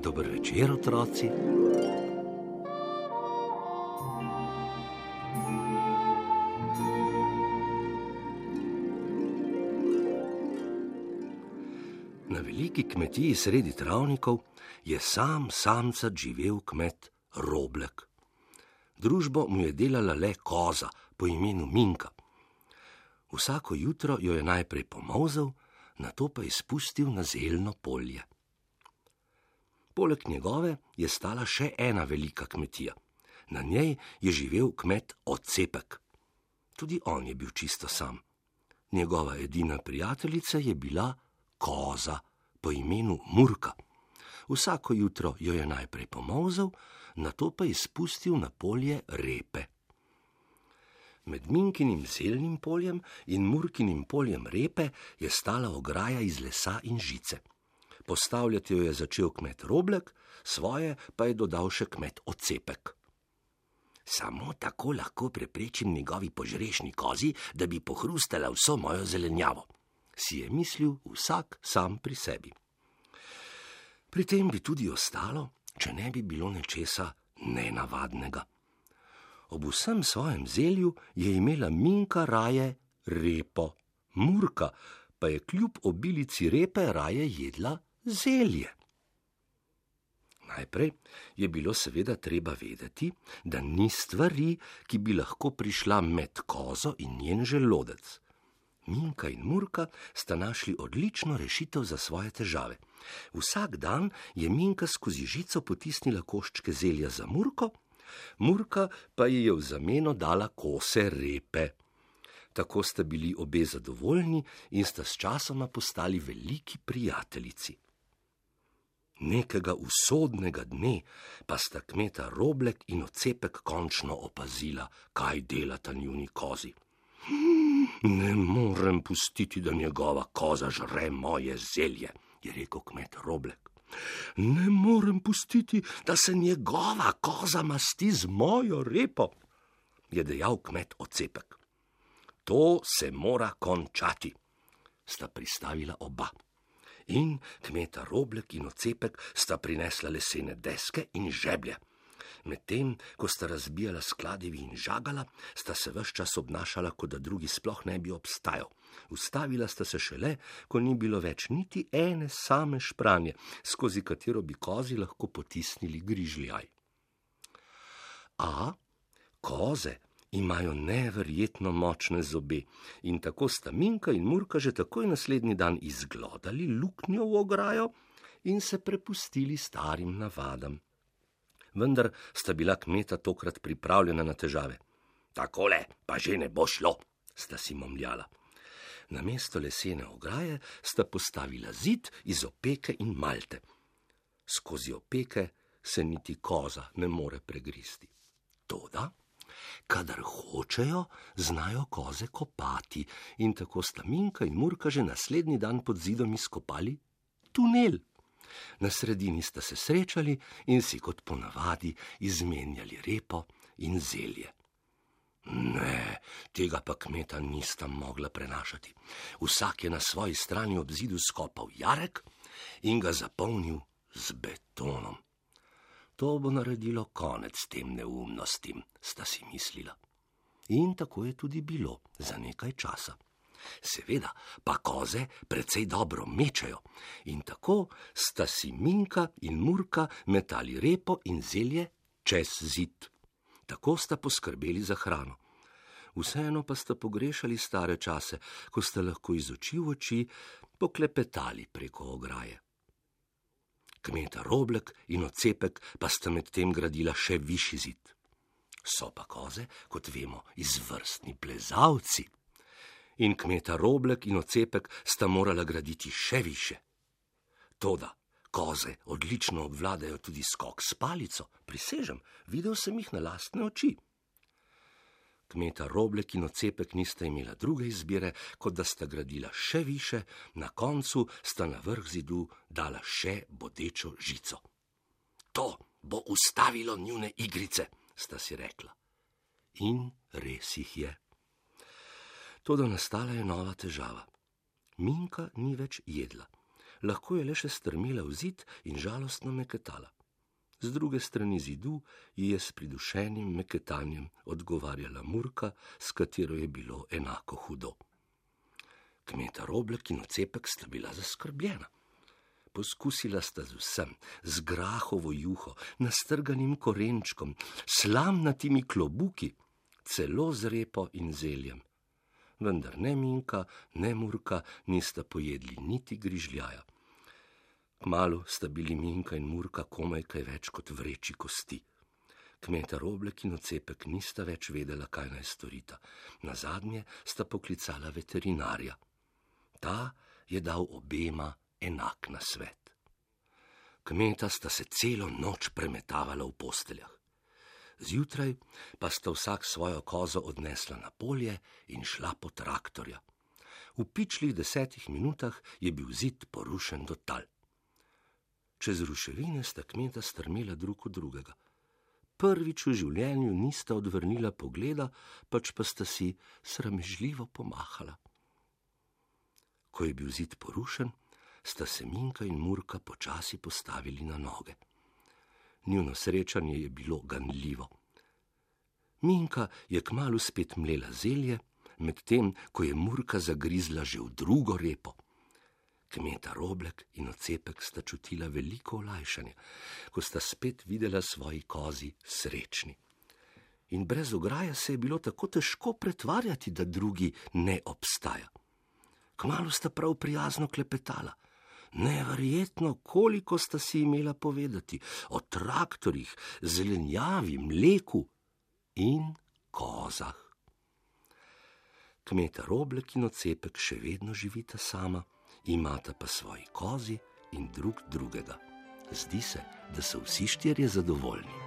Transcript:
Dober večer, otroci. Na veliki kmetiji sredi travnikov je samcat živel kmet Roblek. Družbo mu je delala le koza po imenu Minka. Vsako jutro jo je najprej pomolzel, nato pa izpustil na zeljno polje. Poleg njegove je stala še ena velika kmetija. Na njej je živel kmet Odcepek. Tudi on je bil čisto sam. Njegova edina prijateljica je bila koza po imenu Murka. Vsako jutro jo je najprej pomolzel, nato pa izpustil na polje repe. Med Minkinim zeljnim poljem in Murkinim poljem repe je stala ograja iz lesa in žice. Postavljati jo je začel kmet Roblek, svoje pa je dodal še kmet Odcepek. Samo tako lahko preprečim njegovi požrešni kozi, da bi pohrustala vso mojo zelenjavo, si je mislil vsak sam pri sebi. Pri tem bi tudi ostalo, če ne bi bilo nečesa nenavadnega. Ob vsem svojem zelju je imela Minka raje repo, Murka pa je kljub obilici repe raje jedla zelje. Najprej je bilo seveda treba vedeti, da ni stvari, ki bi lahko prišla med kozo in njen želodec. Minka in Murka sta našli odlično rešitev za svoje težave. Vsak dan je Minka skozi žico potisnila koščke zelja za Murko, Murka pa ji je v zameno dala kose repe. Tako sta bili obe zadovoljni in sta sčasoma postali veliki prijateljici. Nekega usodnega dne pa sta kmeta Roblek in Odcepek končno opazila, kaj delata njuni kozi. Ne morem pustiti, da njegova koza žre moje zelje, je rekel kmet Roblek. Ne morem pustiti, da se njegova koza masti z mojo repo, je dejal kmet Odcepek. To se mora končati, sta pristavila oba. In kmeta Roblek in Odcepek sta prinesla lesene deske in žeblje. Medtem, ko sta razbijala skladevi in žagala, sta se ves čas obnašala, kot da drugi sploh ne bi obstajal. Ustavila sta se šele, ko ni bilo več niti ene same špranje, skozi katero bi kozi lahko potisnili grižljaj. A koze imajo neverjetno močne zobe in tako sta Minka in Murka že takoj naslednji dan izglodali luknjo v ograjo in se prepustili starim navadam. Vendar sta bila kmeta tokrat pripravljena na težave. Takole pa že ne bo šlo, sta si momljala. Namesto lesene ograje sta postavila zid iz opeke in malte. Skozi opeke se niti koza ne more pregristi. Toda kadar hočejo, znajo koze kopati in tako sta Minka in Murka že naslednji dan pod zidom izkopali tunel. Na sredini sta se srečali in si kot ponavadi izmenjali repo in zelje. Ne, tega pa kmeta nista mogla prenašati. Vsak je na svoji strani ob zidu skopal jarek in ga zapolnil z betonom. To bo naredilo konec tem neumnostim, sta si mislila. In tako je tudi bilo za nekaj časa. Seveda pa koze precej dobro mečejo in tako sta si Minka in Murka metali repo in zelje čez zid. Tako sta poskrbeli za hrano. Vseeno pa sta pogrešali stare čase, ko sta lahko iz oči v oči poklepetali preko ograje. Kmeta Roblek in Odcepek pa sta med tem gradila še višji zid. So pa koze, kot vemo, izvrstni plezalci. In kmeta Roblek in Odcepek sta morala graditi še više. Toda koze odlično obvladajo tudi skok s palico, prisežem, videl sem jih na lastne oči. Kmeta Roblek in Ocepek nista imela druge izbire, kot da sta gradila še više, na koncu sta na vrh zidu dala še bodečo žico. To bo ustavilo njune igrice, sta si rekla. In res jih je. Toda nastala je nova težava. Minka ni več jedla. Lahko je le še strmela v zid in žalostno meketala. Z druge strani zidu ji je s pridušenim meketanjem odgovarjala Murka, s katero je bilo enako hudo. Kmeta Roblek in Ocepek sta bila zaskrbljena. Poskusila sta z vsem, z grahovo juho, nastrganim korenčkom, slamnatimi klobuki, celo z repo in zeljem. Vendar ne Minka, ne Murka nista pojedli niti grižljaja. Kmalu sta bili Minka in Murka komaj kaj več kot vreči kosti. Kmeta Roblek in Ocepek nista več vedela, kaj naj storita. Nazadnje sta poklicala veterinarja. Ta je dal obema enak nasvet. Kmeta sta se celo noč premetavala v posteljah. Zjutraj pa sta vsak svojo kozo odnesla na polje in šla po traktorja. V pičlih 10 minutah je bil zid porušen do tal. Čez ruševine sta kmeta strmela drug od drugega. Prvič v življenju nista odvrnila pogleda, pač pa sta si sramežljivo pomahala. Ko je bil zid porušen, sta se Minka in Murka počasi postavili na noge. Njuno srečanje je bilo ganljivo. Minka je kmalu spet mlela zelje, medtem ko je Murka zagrizla že v drugo repo. Kmeta Roblek in Ocepek sta čutila veliko olajšanje, ko sta spet videla svoji kozi srečni. In brez ograje se je bilo tako težko pretvarjati, da drugi ne obstaja. Kmalu sta prav prijazno klepetala. Neverjetno, koliko sta si imela povedati o traktorjih, zelenjavi, mleku in kozah. Kmeta Roblek in Ocepek še vedno živita sama, imata pa svoji kozi in drug drugega. Zdi se, da so vsi štirje zadovoljni.